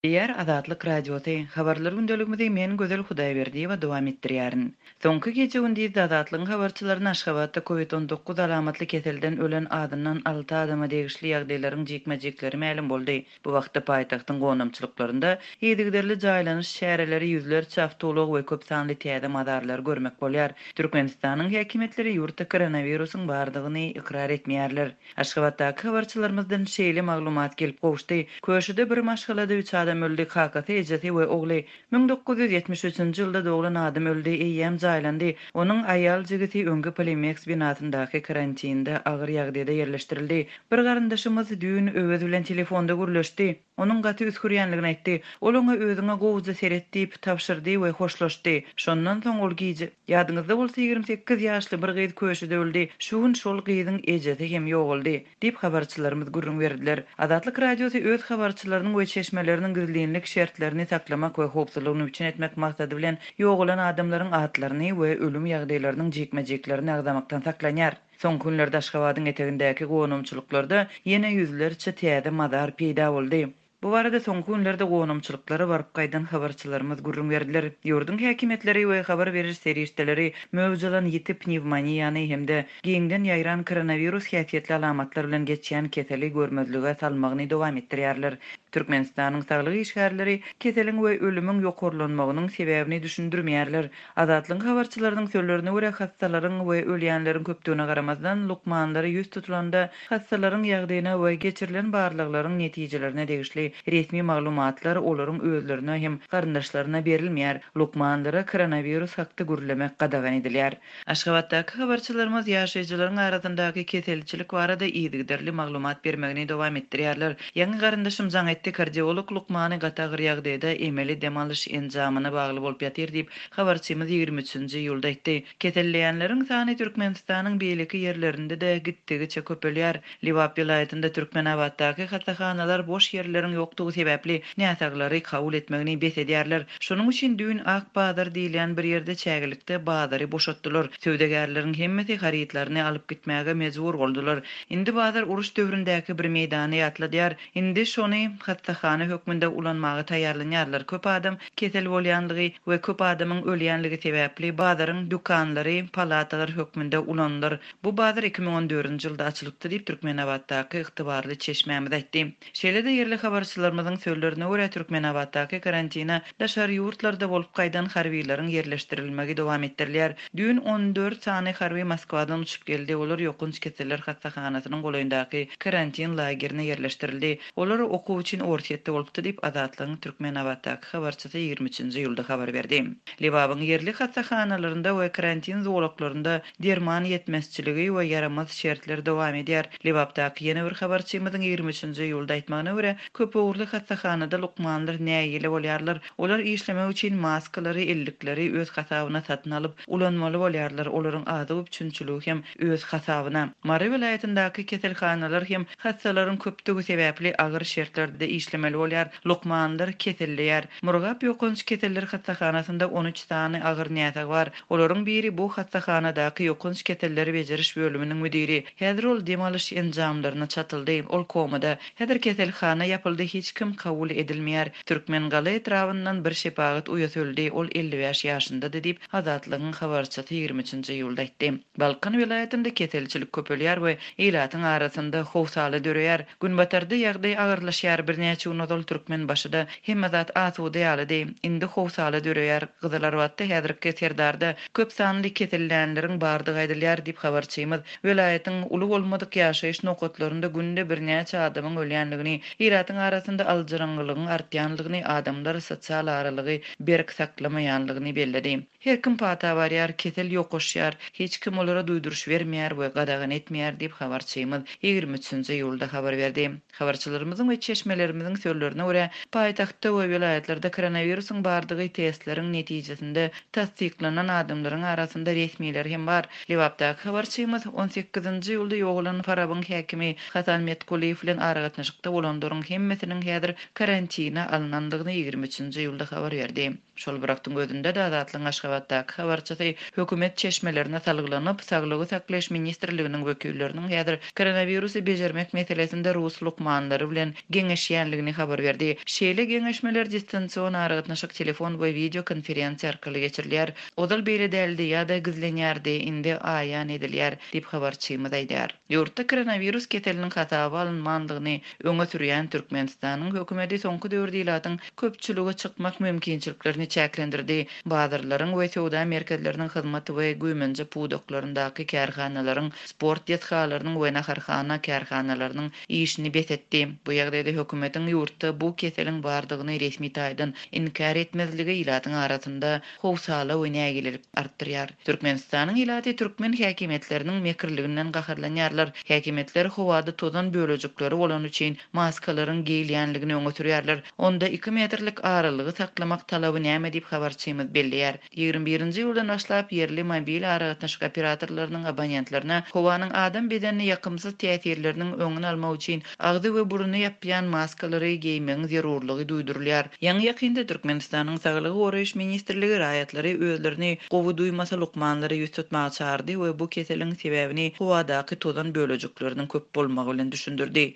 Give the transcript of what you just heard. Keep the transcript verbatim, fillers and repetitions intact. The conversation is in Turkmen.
Diýýär Azatlyk Radiosy. Habarlar gündeligimizi men Gözel Hudaýberdiýewa dowam etdirýärin. Soňky gije-gündizde Azatlygyň habarçylaryna Aşgabatda Covid on dokuz alamatly keselden ölen azyndan alty adama degişli ýagdaýlaryň jikme-jikleri mälim boldy. Bu wagtda paýtagtyň gonamçylyklarynda yzygiderli jaýlanyş çäreleri, ýüzlerçe awtoulag we köp sanly täze mazarlary görmek bolýar. Türkmenistanyň häkimiýetleri ýurtda koronawirusyň bardygyny ykrar etmeýärler. Aşgabatdaky habarçylarymyzdan şeýle maglumat gelip gowuşdy. Köşüde bir maşgalada üç adam öldi, kakasy, ejesi we ogly. Müň dokuz ýüz ýetmiş üçünji ýylda doglan adam öldi, eýýäm jaýlandy. Onuň aýal jigisi öňki Polimex binasyndaky karantinde agyr ýagdaýda ýerleşdirildi. Bir garyndaşymyz düýn Öwez bilen telefonda gürleşdi. Onuň gaty üskürýänligini aýtdy. Ol oňa özüňe gowuja seret diýip tabşyrdy we hoşlaşdy. Şondan soň ol gije, ýadyňyzda bolsa ýigrimi sekiz ýaşly bir gyz köşüde öldi. Şu gün şol gyzyň ejesi hem ýogaldy diýip habarçylarymyz gürrüň berdiler. Azatlyk Radiosy öz habarçylarynyň we çeşmeleriniň gizlinlik şertlerini saklamak we howpsuzlygyny üpjün etmek maksady bilen ýogalan adamlaryň atlaryny we ölüm ýagdaýlarynyň jikme-jiklerini agzamakdan saklanýar. Soňky günlerde Aşgabadyň etegindäki gonamçylyklarda ýene ýüzlerçe täze mazar peýda boldy. Bu barada soňky günlerde gonamçylyklara baryp gaýdan habarçylarymyz gürrüň berdiler. Ýurduň häkimiýetleri we habar beriş serişdeleri möwjalan ýiti pnewmoniýany hem-de giňden ýaýran koronawirus häsiýetli alamatlar bilen geçýän keseli görmezlige salmagyny dowam etdirýärler. Türkmenistanyň saglyk işgärleri keseliň we ölümiň ýokarlanmagynyň sebäbini düşündirmeýärler. Azatlygyň habarçylarynyň sözlerine görä hassalaryň we ölýänleriň köpdügine garamazdan lukmanlary ýüz tutulanda hassalaryň ýagdaýyna we geçirilen barlaglaryň netijelerine degişli resmi maglumatlar olaryň özlerine hem garyndaşlaryna berilmeýär. Lukmanlara koronawirus hakda gürlemek gadagan edilýär. Aşgabatdaky habarçylarymyz ýaşaýjylaryň arasyndaky keselçilik barada yzygiderli maglumat bermegini dowam etdirýärler. Ýaňy garyndaşym jaň etdi, kardiolog lukmany gaty agyr ýagdaýda emeli dem alyş enjamyna bagly bolup ýatyr diýip habarçymyz ýigrimi üçünji iýulda aýtdy. Keselleýänleriň sany Türkmenistanyň beýleki ýerlerinde-de gitdigiçe köpelýär. Lebap welaýatynda Türkmenabatdaky hassahanalar boş ýerleriň ýokdugy sebäpli näsaglary kabul etmegini bes edýärler. Şonuň üçin düýn Ak bazar diýilýän bir ýerde çägelikde bazary boşatdylar. Söwdagärleriň hemmesi harytlaryny alyp gitmäge mejbur boldular. Indi bazar uruş döwründäki bir meýdany ýatladýar. Indi şony hassahana hökmünde ulanmaga taýýarlanýarlar. Köp adam kesel bolýanlygy we köp adamyň ölýänligi sebäpli bazaryň dükanlary, palatalar hökmünde ulanylar. Bu bazar iki müň on dördünji ýylda açylypdy diýip Türkmenabatdaky ygtybarly çeşmämiz aýtdy. Şeýle-de ýerli habarçylarymyzyň sözlerine görä Türkmenabatdaky karantina daşary ýurtlarda bolup gaýdan harbiýleriň ýerleşdirilmegi dowam etdirilýär. Düýn on dört sany harby Moskwadan uçup geldi. Olar ýokunç keseller hassahanasynyň golaýyndaky karantin lagerine ýerleşdirildi. Olar okuw üçin Orsýetde bolupdy diýip Azatlygyň Türkmenabatdaky habarçysy ýigrimi üçünji iýulda habar berdi. Lebabyň ýerli hassahanalarynda we karantin zolaklarynda derman ýetmezçiligi we ýaramaz şertler dowam edýär. Lebapdaky ýene bir habarçymyzyň ýigrimi üçünji iýulda aýtmagyna görä, köp ugurly hassahanada lukmanlar nägile bolýarlar. Olar işlemek üçin maskalary, ellikleri öz hasabyna satyn alyp ulanmaly bolýarlar. Olaryň azyk üpjünçiligi hem öz hasabyna. Mary welaýatyndaky keselhanalar hem hassalaryň köpdügi sebäpli agyr şertlerde işlemeli bolýar. Lukmanlar keselleýär. Murgap ýokanç keseller hassahanasynda on üç sany agyr näsag bar. Olaryň biri bu hassahanadaky ýokanç keselleri beceriş bölüminiň müdiri. Häzir ol dem alyş enjamlaryna çatyldy. Ol komada. Häzir keselhana ýapyldy, hiç kim kabul edilmeýär. Türkmengala etrabyndan bir şepagat uýasy öldi. Ol elli bäş ýaşyndady diýip Azatlygyň habarçysy ýigrimi üçünji iýulda aýtdy. Balkan welaýatynda keselçilik köpelýär we ilatyň arasynda howsala döreýär. Günbatarda ýagdaý agyrlaşýar. Birnäçe gün ozal Türkmenbaşyda hemme zat asuda ýalydy. Indi howsala döreýär. Gyzylarbatda häzirki Serdarda köp sanly kesellänleriň bardygy aýdylýar diýip habarçymyz welaýatyň uly bolmadyk ýaşaýyş nokatlarynda günde birnäçe adamyň ölýänligini, ilatyň arasynda aljyraňňylygyň artýanlygyny, adamlar sosial aralygy berk saklamaýanlygyny belledi. Her kim pata barýar, kesel ýokaşýar, hiç kim olara duýduryş bermeýär we gadagan etmeýär diýip habarçymyz ýigrimi üçünji iýulda habar berdi. Habarçylarymyzyň we çeşmelerimiziň sözlerine görä, paýtagtda we welaýatlarda koronawirusyň bardygy testleriň netijesinde tassyklanan adamlaryň arasynda resmiler hem bar. Lebapdaky habarçymyz on sekizinji iýulda ýogalan Farabyň häkimi Hasan Metkuliýew bilen aragatnaşykda bolanlaryň hemmesiniň häzir karantina alynandygyny ýigrimi üçünji iýulda habar berdi. Şol bir wagtyň özünde-de Azatlygyň Aşgabatdaky habarçysy hökümet çeşmelerine salgylanyp, Saglygy saklaýyş ministrliginiň wekilleriniň häzir koronawirusy bejermek meselesinde rus lukmanlary bilen geňeşýändigini edýändigini habar berdi. Şeýle geňeşmeler distansion aragatnaşyk, telefon we wideo konferensiýa arkaly geçirilýär. Ozal beýle däldi ýa-da gizlenýärdi, indi aýan edilýär diýip habarçymyz aýdýar. Ýurtda koronawirus keseliniň hasaba alynmandygyny öňe sürýän Türkmenistanyň hökümeti soňky döwürde ilatyň köpçülige çykmak mümkinçiliklerini çäklendirdi. Bazarlaryň we söwda merkezleriniň hyzmat we güýmenje pudaklaryndaky kärhanalaryň, sport desgalarynyň we naharhana kärhanalarynyň işini bes etdi. Bu ýagdaýda hökümetiň ýurtda bu keseliň bardygyny resmi taýdan inkär etmezligi ilatyň arasynda howsala we nägilelik artdyrýar. Türkmenistanyň ilaty türkmen häkimiýetleriniň mekirliginden gaharlanýarlar. Häkimiýetler howada tozan bölejikleri bolany üçin maskalaryň geýilýänligini öňe sürýärler. Onda iki metrlik aralygy saklamak talaby näme diýip habarçymyz belleýär. Ýigrimi birinji ýyldan başlap ýerli mobil aragatnaşyk operatorlarynyň abonentlerine howanyň adam bedenine ýakymsyz täsirleriniň öňüni almak üçin agzy we burny ýapýan maskalary geýmegiň zerurlygy duýdurylýar. Ýaňy ýakynda Türkmenistanyň Saglygy goraýyş ministrligi raýatlary özlerini gowy duýmasa lukmanlara ýüz tutmaga çağırdy we bu keseliň sebäbini howadaky tozan bölejikleriniň köp bolmagy bilen düşündirdi.